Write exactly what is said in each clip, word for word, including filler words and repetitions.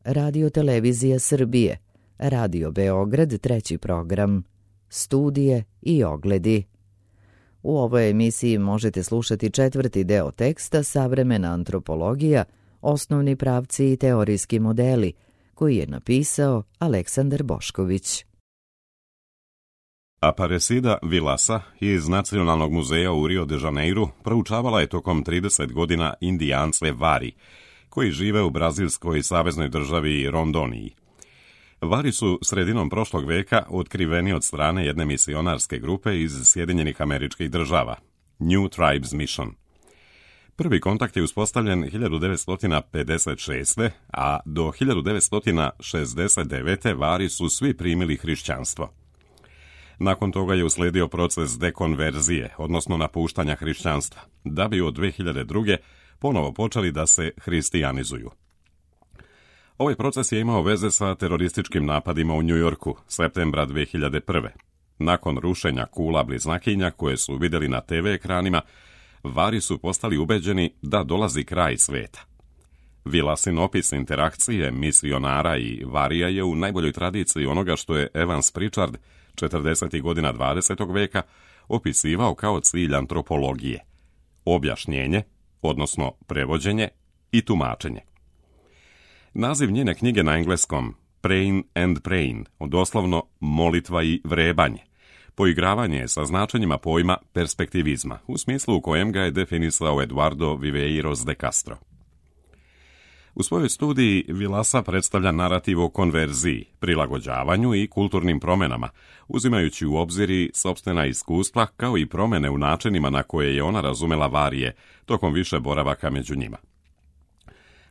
Radio Televizija Srbije, Radio Beograd treći program, studije i ogledi. U ovoj emisiji možete slušati četvrti deo teksta Savremena antropologija, osnovni pravci i teorijski modeli, koji je napisao Aleksandar Bošković. Aparecida Vilasa iz Nacionalnog muzeja u Rio de Janeiru proučavala je tokom trideset godina Indijance Vari, koji žive u brazilskoj saveznoj državi Rondoniji. Vari su sredinom prošlog veka otkriveni od strane jedne misionarske grupe iz Sjedinjenih Američkih Država, New Tribes Mission. Prvi kontakt je uspostavljen hiljadu devetsto pedeset šeste. a do hiljadu devetsto šezdeset devete. Vari su svi primili hrišćanstvo. Nakon toga je usledio proces dekonverzije, odnosno napuštanja hrišćanstva, da bi od dve hiljade druge. ponovo počeli da se hristijanizuju. Ovaj proces je imao veze sa terorističkim napadima u Njujorku, septembra dve hiljade prve. Nakon rušenja kula bliznakinja koje su vidjeli na te ve ekranima, Vari su postali ubeđeni da dolazi kraj sveta. Vilasin opis interakcije misionara i Varija je u najboljoj tradiciji onoga što je Evans Pritchard četrdesetih godina dvadesetog veka opisivao kao cilj antropologije: objašnjenje, odnosno prevođenje i tumačenje. Naziv njene knjige na engleskom, Praying and Praying, doslovno molitva i vrebanje, poigravanje je sa značenjima pojma perspektivizma, u smislu u kojem ga je definisao Eduardo Viveiros de Castro. U svojoj studiji Vilasa predstavlja narativ o konverziji, prilagođavanju i kulturnim promenama, uzimajući u obzir i sopstvena iskustva kao i promene u načinima na koje je ona razumela Varije tokom više boravaka među njima.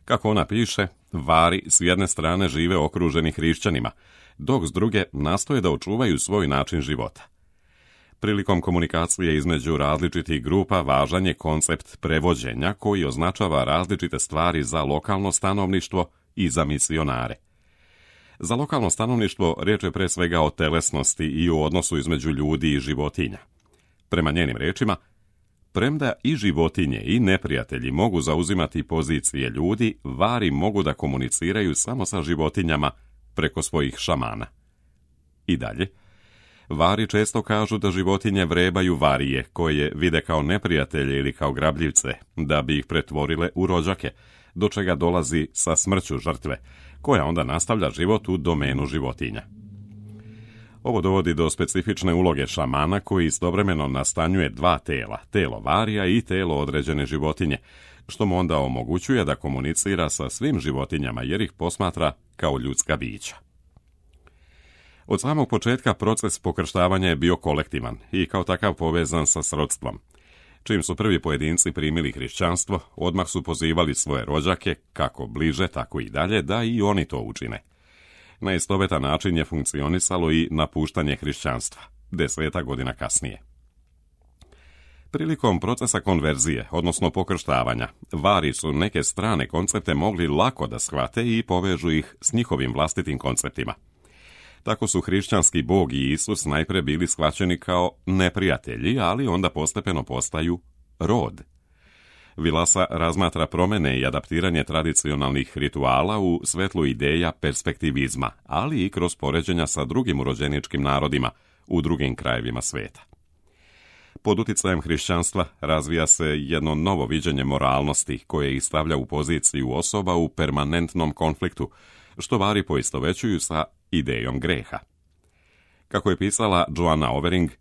Kako ona piše, Vari s jedne strane žive okruženi hrišćanima, dok s druge nastoje da očuvaju svoj način života. Prilikom komunikacije između različitih grupa važan je koncept prevođenja koji označava različite stvari za lokalno stanovništvo i za misionare. Za lokalno stanovništvo riječ je pre svega o telesnosti i o odnosu između ljudi i životinja. Prema njenim rečima, premda i životinje i neprijatelji mogu zauzimati pozicije ljudi, Vari mogu da komuniciraju samo sa životinjama preko svojih šamana. I dalje, Vari često kažu da životinje vrebaju Varije, koje vide kao neprijatelje ili kao grabljivce, da bi ih pretvorile u rođake, do čega dolazi sa smrću žrtve, koja onda nastavlja život u domenu životinja. Ovo dovodi do specifične uloge šamana koji istovremeno nastanjuje dva tela, telo Varija i telo određene životinje, što mu onda omogućuje da komunicira sa svim životinjama jer ih posmatra kao ljudska bića. Od samog početka proces pokrštavanja je bio kolektivan i kao takav povezan sa srodstvom. Čim su prvi pojedinci primili hrišćanstvo, odmah su pozivali svoje rođake, kako bliže, tako i dalje, da i oni to učine. Na istovetan način je funkcionisalo i napuštanje hrišćanstva, deseta godina kasnije. Prilikom procesa konverzije, odnosno pokrštavanja, Vari su neke strane koncepte mogli lako da shvate i povežu ih s njihovim vlastitim konceptima. Tako su hrišćanski Bog i Isus najpre bili shvaćeni kao neprijatelji, ali onda postepeno postaju rod. Vilasa razmatra promene i adaptiranje tradicionalnih rituala u svetlu ideja perspektivizma, ali i kroz poređenja sa drugim urođeničkim narodima u drugim krajevima sveta. Pod uticajem hrišćanstva razvija se jedno novo viđenje moralnosti koje ih stavlja u poziciju osoba u permanentnom konfliktu, što Vari poistovećuju sa idejom greha. Kako je pisala Joanna Overing,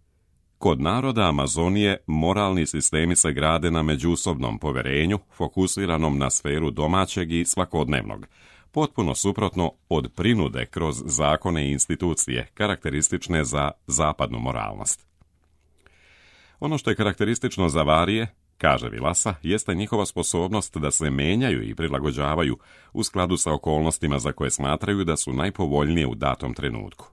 kod naroda Amazonije moralni sistemi se grade na međusobnom poverenju, fokusiranom na sferu domaćeg i svakodnevnog, potpuno suprotno od prinude kroz zakone i institucije, karakteristične za zapadnu moralnost. Ono što je karakteristično za Varije, kaže Vilasa, jeste njihova sposobnost da se menjaju i prilagođavaju u skladu sa okolnostima za koje smatraju da su najpovoljnije u datom trenutku.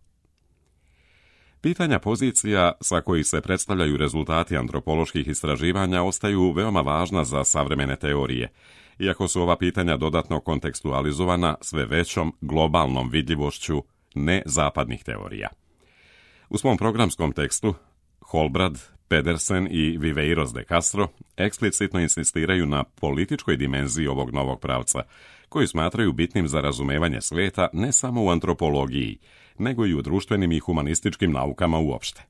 Pitanja pozicija sa kojih se predstavljaju rezultati antropoloških istraživanja ostaju veoma važna za savremene teorije, iako su ova pitanja dodatno kontekstualizovana sve većom globalnom vidljivošću nezapadnih teorija. U svom programskom tekstu Holbrad Pedersen i Viveiros de Castro eksplicitno insistiraju na političkoj dimenziji ovog novog pravca, koji smatraju bitnim za razumevanje sveta ne samo u antropologiji, nego i u društvenim i humanističkim naukama uopšte.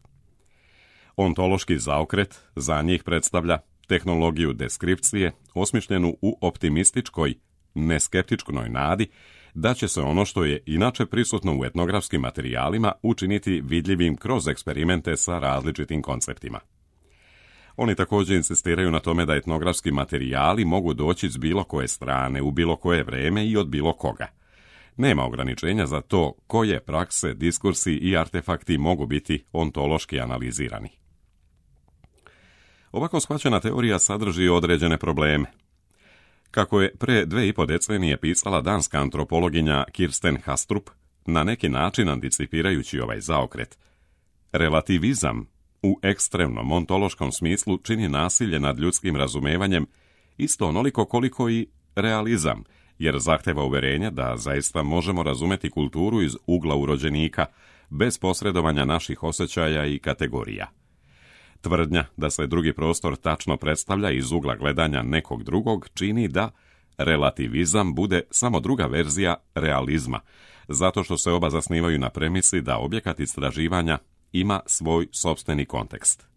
Ontološki zaokret za njih predstavlja tehnologiju deskripcije osmišljenu u optimističkoj, neskeptičkoj nadi da će se ono što je inače prisutno u etnografskim materijalima učiniti vidljivim kroz eksperimente sa različitim konceptima. Oni također insistiraju na tome da etnografski materijali mogu doći s bilo koje strane, u bilo koje vreme i od bilo koga. Nema ograničenja za to koje prakse, diskursi i artefakti mogu biti ontološki analizirani. Ovako shvaćena teorija sadrži određene probleme. Kako je pre dve i po decenije pisala danska antropologinja Kirsten Hastrup, na neki način anticipirajući ovaj zaokret, relativizam u ekstremnom ontološkom smislu čini nasilje nad ljudskim razumevanjem isto onoliko koliko i realizam, jer zahteva uverenje da zaista možemo razumeti kulturu iz ugla urođenika, bez posredovanja naših osjećaja i kategorija. Tvrdnja da se drugi prostor tačno predstavlja iz ugla gledanja nekog drugog čini da relativizam bude samo druga verzija realizma, zato što se oba zasnivaju na premisi da objekat istraživanja ima svoj sopstveni kontekst.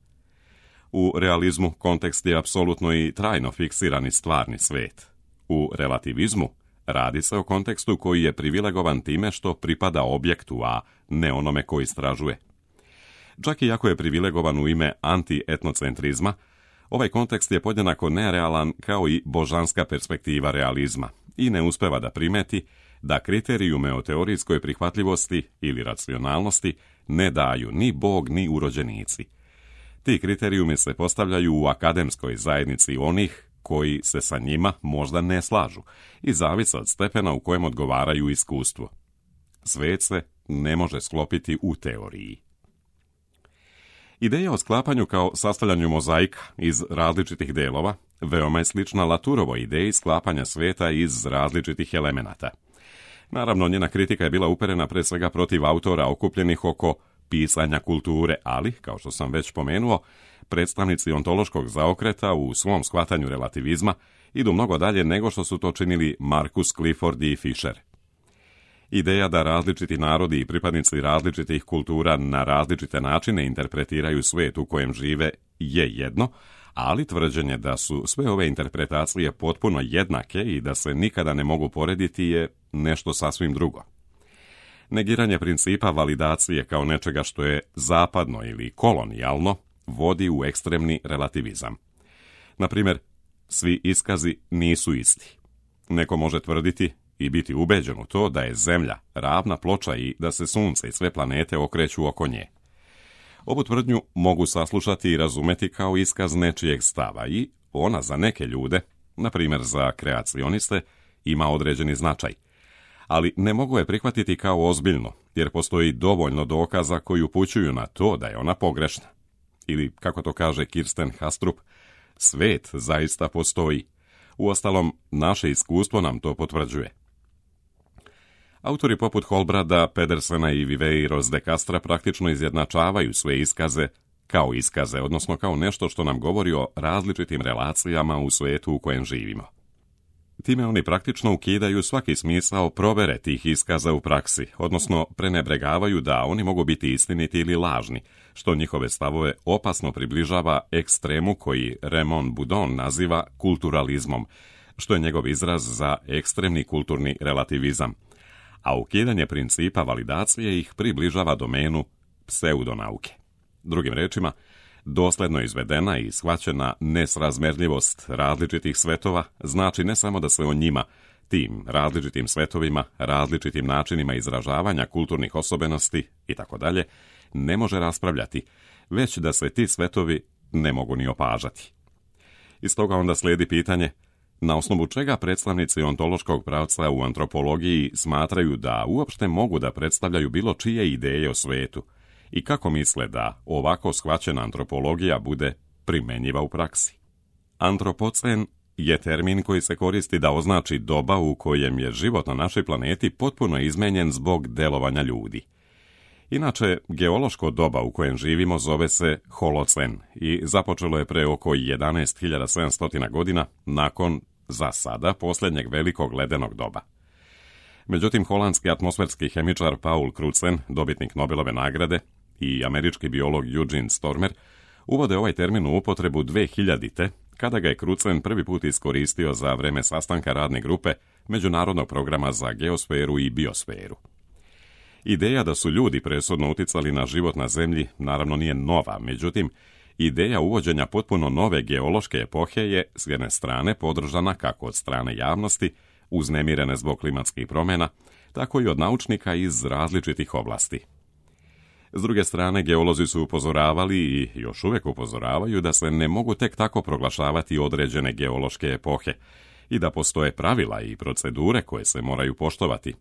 U realizmu kontekst je apsolutno i trajno fiksirani stvarni svet. U relativizmu radi se o kontekstu koji je privilegovan time što pripada objektu, a ne onome koji istražuje. Čak i ako je privilegovan u ime anti-etnocentrizma, ovaj kontekst je podjednako nerealan kao i božanska perspektiva realizma i ne uspeva da primeti da kriterijume o teorijskoj prihvatljivosti ili racionalnosti ne daju ni Bog ni urođenici. Ti kriterijumi se postavljaju u akademskoj zajednici onih koji se sa njima možda ne slažu i zavise od stepena u kojem odgovaraju iskustvu. Svet se ne može sklopiti u teoriji. Ideja o sklapanju kao sastavljanju mozaika iz različitih delova veoma je slična Laturovoj ideji sklapanja sveta iz različitih elemenata. Naravno, njena kritika je bila uperena pre svega protiv autora okupljenih oko pisanja kulture, ali, kao što sam već pomenuo, predstavnici ontološkog zaokreta u svom shvatanju relativizma idu mnogo dalje nego što su to činili Marcus Clifford i Fisher. Ideja da različiti narodi i pripadnici različitih kultura na različite načine interpretiraju svet u kojem žive je jedno, ali tvrđenje da su sve ove interpretacije potpuno jednake i da se nikada ne mogu porediti je nešto sasvim drugo. Negiranje principa validacije kao nečega što je zapadno ili kolonijalno vodi u ekstremni relativizam. Na primjer, svi iskazi nisu isti. Neko može tvrditi i biti ubeđen u to da je Zemlja ravna ploča i da se Sunce i sve planete okreću oko nje. Ovu tvrdnju mogu saslušati i razumeti kao iskaz nečijeg stava i ona za neke ljude, na primjer za kreacioniste, ima određeni značaj. Ali ne mogu je prihvatiti kao ozbiljno, jer postoji dovoljno dokaza koji upućuju na to da je ona pogrešna. Ili, kako to kaže Kirsten Hastrup, svet zaista postoji. Uostalom, naše iskustvo nam to potvrđuje. Autori poput Holbrada, Pedersena i Viveiros de Castra praktično izjednačavaju sve iskaze kao iskaze, odnosno kao nešto što nam govori o različitim relacijama u svetu u kojem živimo. Time oni praktično ukidaju svaki smisao provere tih iskaza u praksi, odnosno prenebregavaju da oni mogu biti istiniti ili lažni, što njihove stavove opasno približava ekstremu koji Raymond Boudon naziva kulturalizmom, što je njegov izraz za ekstremni kulturni relativizam, a ukidanje principa validacije ih približava domenu pseudonauke. Drugim rečima, dosledno izvedena i shvaćena nesrazmerljivost različitih svetova znači ne samo da se o njima, tim različitim svetovima, različitim načinima izražavanja kulturnih osobenosti itd. Ne može raspravljati, već da se ti svetovi ne mogu ni opažati. Iz toga onda slijedi pitanje na osnovu čega predstavnici ontološkog pravca u antropologiji smatraju da uopšte mogu da predstavljaju bilo čije ideje o svetu i kako misle da ovako shvaćena antropologija bude primenjiva u praksi. Antropocen je termin koji se koristi da označi doba u kojem je život na našoj planeti potpuno izmenjen zbog delovanja ljudi. Inače, geološko doba u kojem živimo zove se Holocen i započelo je pre oko jedanaest hiljada sedamsto godina nakon, za sada, posljednjeg velikog ledenog doba. Međutim, holandski atmosferski hemičar Paul Crutzen, dobitnik Nobelove nagrade, i američki biolog Eugene Stormer uvode ovaj termin u upotrebu dve hiljadite, kada ga je Crutzen prvi put iskoristio za vreme sastanka radne grupe Međunarodnog programa za geosferu i biosferu. Ideja da su ljudi presudno uticali na život na Zemlji naravno nije nova, međutim, ideja uvođenja potpuno nove geološke epohe je s jedne strane podržana kako od strane javnosti, uznemirene zbog klimatskih promjena, tako i od naučnika iz različitih oblasti. S druge strane, geolozi su upozoravali i još uvijek upozoravaju da se ne mogu tek tako proglašavati određene geološke epohe i da postoje pravila i procedure koje se moraju poštovati.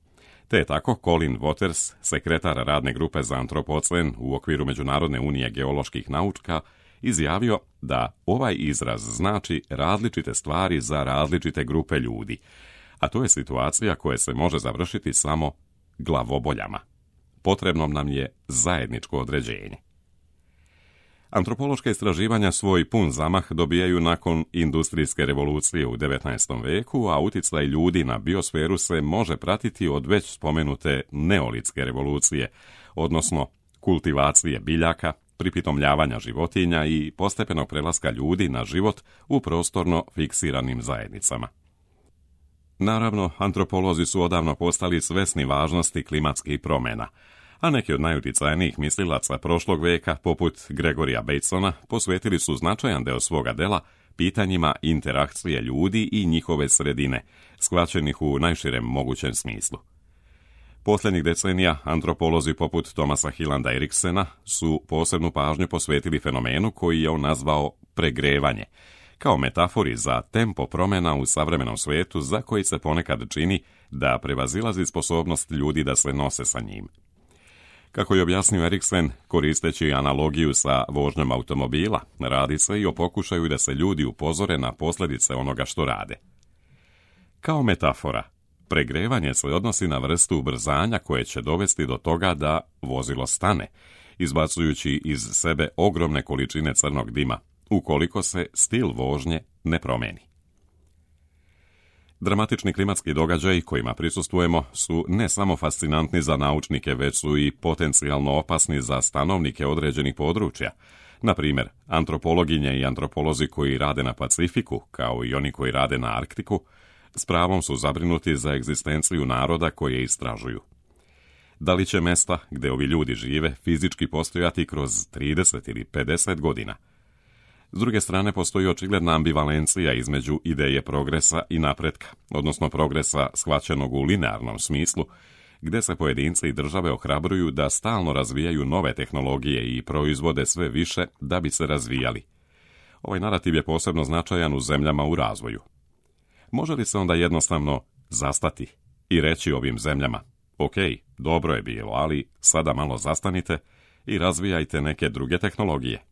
Te je tako Colin Waters, sekretar radne grupe za antropocen u okviru Međunarodne unije geoloških nauka, izjavio da ovaj izraz znači različite stvari za različite grupe ljudi, a to je situacija koja se može završiti samo glavoboljama. Potrebno nam je zajedničko određenje. Antropološka istraživanja svoj pun zamah dobijaju nakon industrijske revolucije u devetnaestom veku, a uticaj ljudi na biosferu se može pratiti od već spomenute neolitske revolucije, odnosno kultivacije biljaka, pripitomljavanja životinja i postepenog prelaska ljudi na život u prostorno fiksiranim zajednicama. Naravno, antropolozi su odavno postali svesni važnosti klimatskih promjena, a neki od najuticajnijih mislilaca prošlog veka, poput Gregorija Batesona, posvetili su značajan deo svoga dela pitanjima interakcije ljudi i njihove sredine, shvaćenih u najširem mogućem smislu. Posljednjih decenija antropolozi poput Thomasa Hillanda Eriksena su posebnu pažnju posvetili fenomenu koji je on nazvao pregrevanje, kao metafori za tempo promjena u savremenom svijetu za koji se ponekad čini da prevazilazi sposobnost ljudi da se nose sa njim. Kako je objasnio Eriksen, koristeći analogiju sa vožnjom automobila, radi se i o pokušaju da se ljudi upozore na posljedice onoga što rade. Kao metafora, pregrevanje se odnosi na vrstu ubrzanja koje će dovesti do toga da vozilo stane, izbacujući iz sebe ogromne količine crnog dima, ukoliko se stil vožnje ne promijeni. Dramatični klimatski događaji kojima prisustvujemo su ne samo fascinantni za naučnike, već su i potencijalno opasni za stanovnike određenih područja. Na primjer, antropologinje i antropolozi koji rade na Pacifiku, kao i oni koji rade na Arktiku, s pravom su zabrinuti za egzistenciju naroda koje istražuju. Da li će mesta gdje ovi ljudi žive fizički postojati kroz trideset ili pedeset godina? S druge strane, postoji očigledna ambivalencija između ideje progresa i napretka, odnosno progresa shvaćenog u linearnom smislu, gdje se pojedinci i države ohrabruju da stalno razvijaju nove tehnologije i proizvode sve više da bi se razvijali. Ovaj narativ je posebno značajan u zemljama u razvoju. Može li se onda jednostavno zastati i reći ovim zemljama: ok, dobro je bilo, ali sada malo zastanite i razvijajte neke druge tehnologije?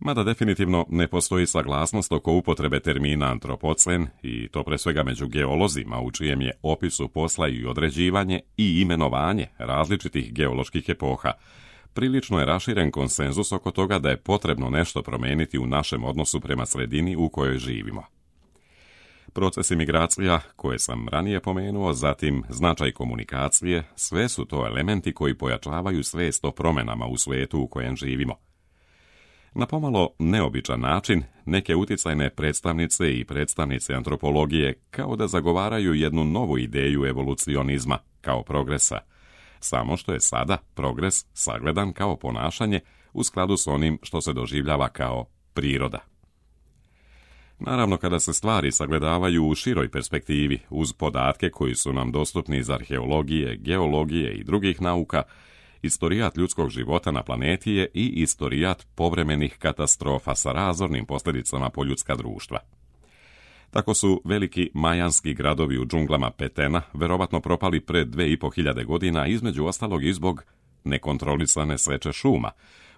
Mada definitivno ne postoji saglasnost oko upotrebe termina antropocen, i to pre svega među geolozima, u čijem je opisu posla i određivanje i imenovanje različitih geoloških epoha. Prilično je raširen konsenzus oko toga da je potrebno nešto promijeniti u našem odnosu prema sredini u kojoj živimo. Procesi migracija, koje sam ranije pomenuo, zatim značaj komunikacije, sve su to elementi koji pojačavaju svijest o promjenama u svijetu u kojem živimo. Na pomalo neobičan način, neke uticajne predstavnice i predstavnice antropologije kao da zagovaraju jednu novu ideju evolucionizma kao progresa, samo što je sada progres sagledan kao ponašanje u skladu s onim što se doživljava kao priroda. Naravno, kada se stvari sagledavaju u široj perspektivi uz podatke koji su nam dostupni iz arheologije, geologije i drugih nauka, istorijat ljudskog života na planeti je i istorijat povremenih katastrofa sa razornim posljedicama po ljudska društva. Tako su veliki majanski gradovi u džunglama Petena verovatno propali pre dve i po hiljade godina, između ostalog i zbog nekontrolisane seče šuma,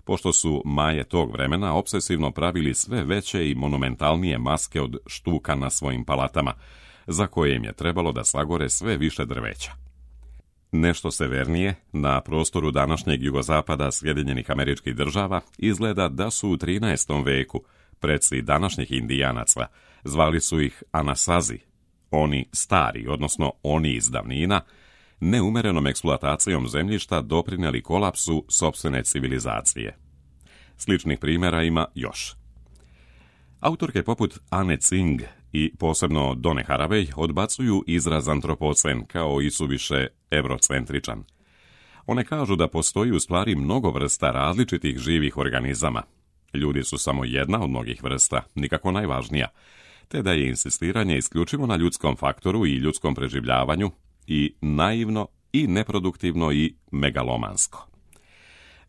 pošto su Maje tog vremena obsesivno pravili sve veće i monumentalnije maske od štuka na svojim palatama, za koje im je trebalo da sagore sve više drveća. Nešto severnije, na prostoru današnjeg jugozapada Sjedinjenih Američkih Država, izgleda da su u trinaestom veku preci današnjih Indijanaca, zvali su ih Anasazi, oni stari, odnosno oni iz davnina, neumerenom eksploatacijom zemljišta doprinijeli kolapsu sopstvene civilizacije. Sličnih primjera ima još. Autorke poput Anne Tsing i posebno Donna Haraway odbacuju izraz antropocen kao isuviše eurocentričan. One kažu da postoji u stvari mnogo vrsta različitih živih organizama. Ljudi su samo jedna od mnogih vrsta, nikako najvažnija, te da je insistiranje isključivo na ljudskom faktoru i ljudskom preživljavanju i naivno i neproduktivno i megalomansko.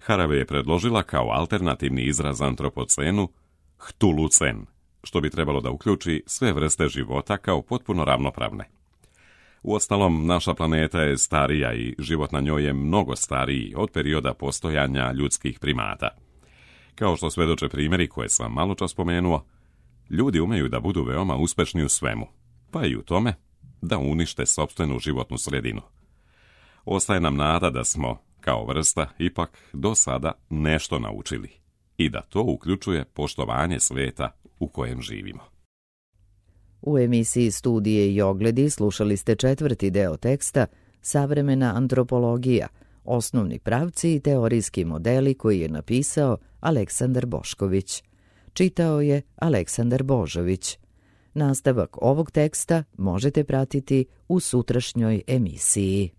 Haraway je predložila kao alternativni izraz antropocenu htulucen, što bi trebalo da uključi sve vrste života kao potpuno ravnopravne. Uostalom, naša planeta je starija i život na njoj je mnogo stariji od perioda postojanja ljudskih primata. Kao što svedoče primjeri koje sam malo čas spomenuo, ljudi umeju da budu veoma uspešni u svemu, pa i u tome da unište sopstvenu životnu sredinu. Ostaje nam nada da smo, kao vrsta, ipak do sada nešto naučili i da to uključuje poštovanje sveta u kojem živimo. U emisiji Studije i ogledi slušali ste četvrti deo teksta Savremena antropologija, osnovni pravci i teorijski modeli koji je napisao Aleksandar Bošković. Čitao je Aleksandar Božović. Nastavak ovog teksta možete pratiti u sutrašnjoj emisiji.